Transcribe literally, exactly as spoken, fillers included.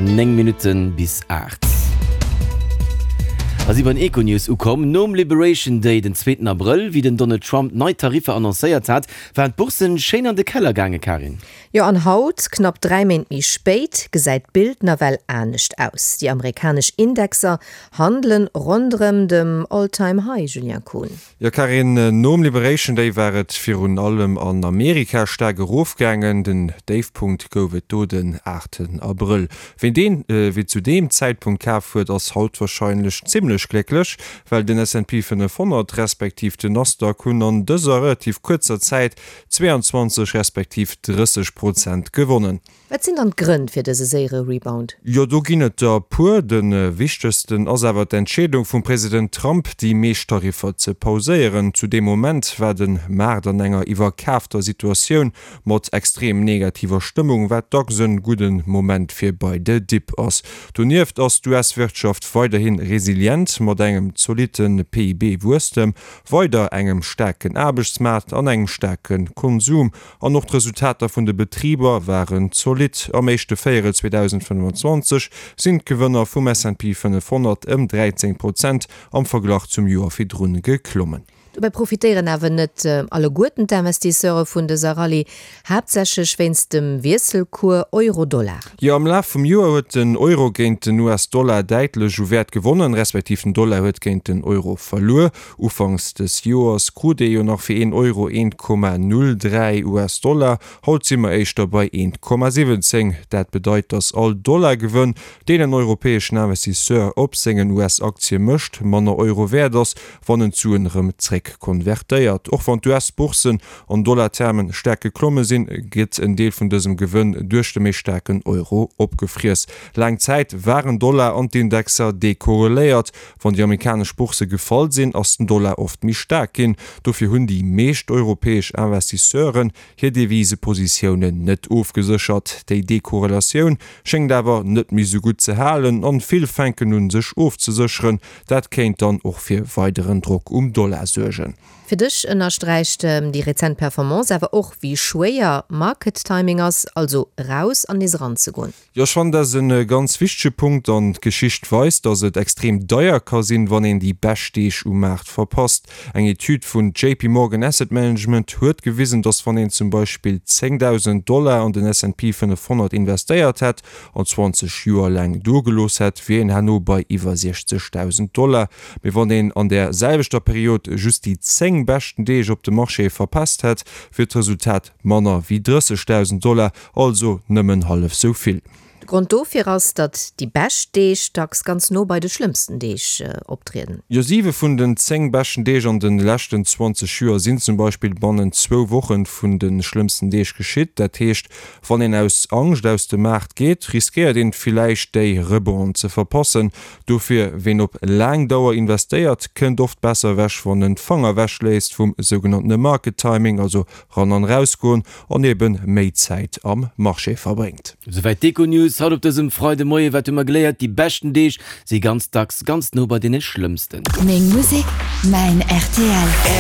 Néng Minutte bis aacht. A si bei den Econews ukomm. Nom Liberation Day den zweeten Abrëll, wéi den Donald Trump nei Tariffer annoncéiert hat, waren d'Bourssen schéin an de Keller gaangen, Karin. Jo, an haut, knapp dräi Méint méi spéit, gesäit d'Bild nawell anescht aus. Déi amerikanesch Indexer handelen ronderëm dem All-Time High, Julien Kohn. Jo Karin, nom Liberation Day war et virun allem an Amerika staark erofgaangen. Den Déifpunkt gouf et do den aachten Abrëll. Ween deen, wee zu deem Zäitpunkt kaf huet, ass haut warscheinlech zimmlech glécklech, well den S and P fënnefhonnert respektiv den Nasdaq hunn an dëser relativ kuerzer Zäit zweeanzwanzeg respektiv drësseg Prozent gewonnen. Wat sinn dann d'Grënn fir dëse séiere Rebound? Jo, do ginn et der e puer. De wichtegsten ass awer d'Entscheedung vum President Trump, déi meescht Tariffer ze pauséieren. Zu deem Moment war de Maart an enger iwwerkaafter Situatioun mat extrem negativer Stëmmung, wat dacks e gudde Moment fir bei de Dip ass. Donieft ass d'U S-Wirtschaft weiderhi resilient, mat engem zolitte P I B-Wuesstem, weider engem staarken Aarbechtsmaart an engem staarke Konsum. An och d'Resultater vun de Betriber waren zolidd. Am éischte Véierel zweedausendfënnefanzwanzeg sinn d'Gewënner vum S and P fënnefhonnert ëm dräizéng Prozent am Verglach zum Joer virdrun geklommen. Dobäi profitéieren awer net alleguerten d'Investisseure vun dëser Rallye, haaptsächlech wéinst dem Wiesselcours Euro-Dollar. Jo, am Laf vum Joer huet den Euro géint den U S-Dollar däitlech u Wäert gewonnen, respektiv den Dollar huet géint den Euro verluer. Ufanks des Joers krut ee jo nach fir een Euro eent Komma null dräi U S-Dollar, haut si mer éischter bei eent Komma siwwenzéng. Dat bedeit, datt all Dollar-Gewënn, deen en europäeschen Investisseur op sengen U S-Aktie mécht, manner Euro wäert ass, wann en d'Suen erëm zréck konvertéiert. Och wann d'U S-Bourssen an Dollartermen staark geklomme sinn, gëtt en Deel vun dësem Gewënn duerch de méi staarken Euro opgefriess. Laang Zäit waren Dollar an d'Indexer dekorreléiert. Wann déi amerikanesch Boursse gefall sinn, ass den Dollar oft méi staark ginn. Dofir hunn déi meescht europäesch Investisseuren hir Devisepositiounen net ofgeséchert. Déi Dekorrelatioun schéngt awer net méi sou gutt ze halen an vill fänken un sech ofzesécheren. Dat kéint dann och fir weideren Drock um Dollar suergen. Fir dech ënnersträicht déi rezent Performance awer och, wéi schwéier Market Timing ass, also eraus an nees eranzegoen. Jo, ech fannen dat ass e ganz wichtege Punkt an d'Geschicht weist, dass et extrem deier ka sinn, wann een déi bescht Deeg um Maart verpasst. Eng Etüd vun J P Morgan Asset Management huet gewisen, dass wann een zum Beispill zéngdausend Dollar an den S and P fënnefhonnert investéiert hätt an zwanzeg Joer laang do gelooss hätt, wier een herno bei iwwer siechzegdausend Dollar. Mee wann een an där selwechter Period just déi zéng beschten Deeg op dem Marché verpasst hätt, wier d'Resultat manner wéi drëssegdausend Dollar, also nëmmen hallef sou vill. De Grond dofir ass, datt déi bescht Deeg dacks ganz no bei de schlëmmsten Deeg optrieden. Jo, siwe vun den zéng beschten Deeg an de leschten zwanzeg Joer sinn zum Beispill bannent zwou Woche vun de schlëmmsten Deeg geschitt. Dat heescht, wann een aus Angscht aus dem Maart geet, riskéiert een villäicht déi Rebonde ze verpassen. Dofir, ween op laang Dauer investéiert, kënnt oft besser ewech, wann en d'Fanger ewech léisst vum sougenanntene Market Timing, also ran an rausgoen an eben méi Zäit am Marché verbréngt. Souwäit d'Econews haut op dësem Freidemoie. Wat hu mer geléiert? Déi beschten Deeg si ganz dacks ganz no bei deene schlëmmsten. Meng Musek, mäin R T L.